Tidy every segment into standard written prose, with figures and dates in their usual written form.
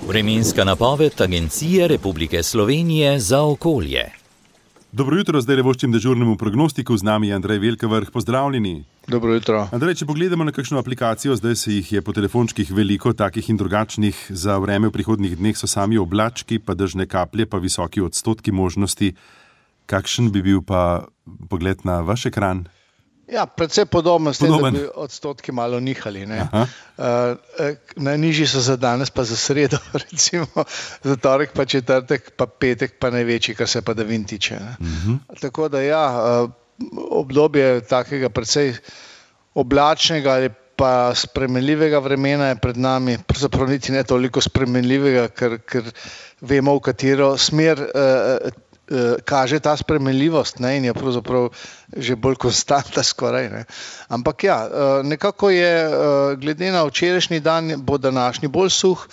Vremenska napoved Agencije Republike Slovenije za okolje. Dobro jutro, zdaj voščim dežurnemu prognostiku, z nami je Andrej Velkavrh, pozdravljeni. Dobro jutro. Andrej, če pogledamo na kakšno aplikacijo, zdaj se jih je po telefončkih veliko, takih in drugačnih, za vreme v prihodnjih dneh so sami oblački, pa dežne kaplje, pa visoki odstotki možnosti. Kakšen bi bil pa pogled na vaš ekran? Ja, predvsej podobno s tem, da bi odstotki malo nihali. Najnižji so za danes, pa za sredo, recimo, za torek, pa četrtek, pa petek, pa največji, kar se padavin tiče. Tako da ja, obdobje takega predvsej oblačnega ali pa spremenljivega vremena je pred nami, pravzaprav niti ne toliko spremenljivega, ker vemo, v katero smer kaže ta spremenljivost, in je pravzaprav že bolj konstanta skoraj. Ampak ja, nekako je, glede na včerajšnji dan, bo današnji bolj suh,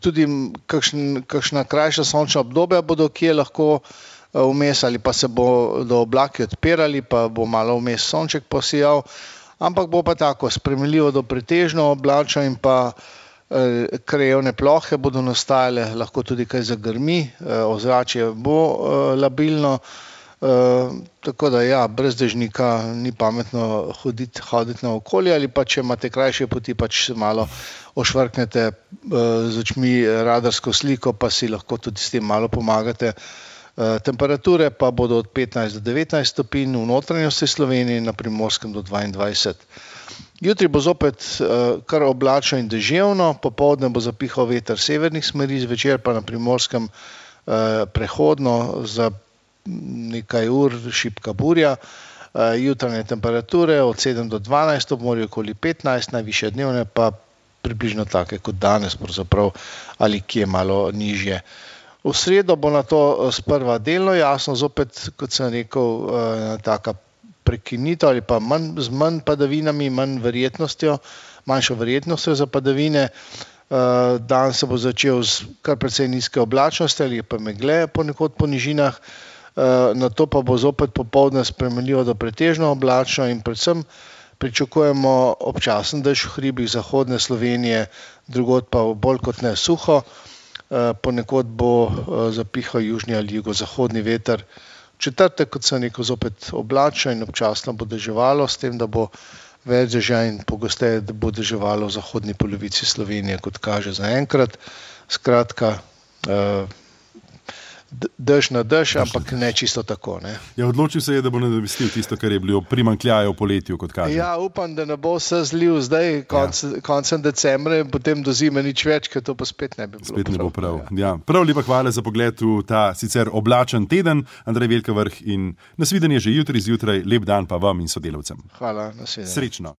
tudi kakšna krajša sončna obdobja bodo kje lahko vmes, ali pa se bodo oblaki odpirali, pa bo malo vmes sonček posijal, ampak bo pa tako spremenljivo do pretežno oblačno in pa krajevne plohe bodo nastajale, lahko tudi kaj zagrmi, ozračje bo labilno, tako da ja, brez dežnika ni pametno hoditi na okolje, ali pa če imate krajše poti, pač se malo ošvrknete z očmi radarsko sliko, pa si lahko tudi s tem malo pomagate. Temperature pa bodo od 15 do 19 stopinj v notranjosti Slovenije, na Primorskem do 22. Jutri bo zopet kar oblačno in deževno, popoldne bo zapihal veter severnih smeri, zvečer pa na Primorskem prehodno za nekaj ur šibka burja. Jutranje temperature od 7 do 12, ob morju okoli 15, najvišje dnevne pa približno take kot danes, pravzaprav ali kje malo nižje. V sredo bo na to sprva delno jasno, zopet, kot sem rekel, taka prekinitev ali pa z manj padavinami, manjšo verjetnostjo za padavine. Dan se bo začel z kar precej nizke oblačnosti ali pa megle ponekod po nižinah, nato pa bo zopet popoldne spremenljivo do pretežno oblačno in predvsem pričakujemo občasen dež v hribih zahodne Slovenije, drugod pa bolj kot ne suho. Ponekod bo zapihal južni ali jugozahodni veter. Četrtek, kot sem rekel, zopet oblačno in občasno bo deževalo, s tem, da bo več dežja in pogosteje, da bo deževalo v zahodni polovici Slovenije, kot kaže zaenkrat. Skratka, dež na dež, ampak ne čisto tako. Ja, odločil se je, da bo nadomestil tisto, kar je bilo primanjkljaje v poletju, kot kaže. Ja, upam, da ne bo vse zlil zdaj, koncem decembra in potem do zime nič več, ker to pa spet ne bi bilo spet prav. Ne bo prav. Ja. Prav lepa hvala za pogled v ta sicer oblačen teden. Andrej Velkavrh in nasvidenje že jutri zjutraj. Lep dan pa vam in sodelavcem. Hvala, nasvidenje. Srečno.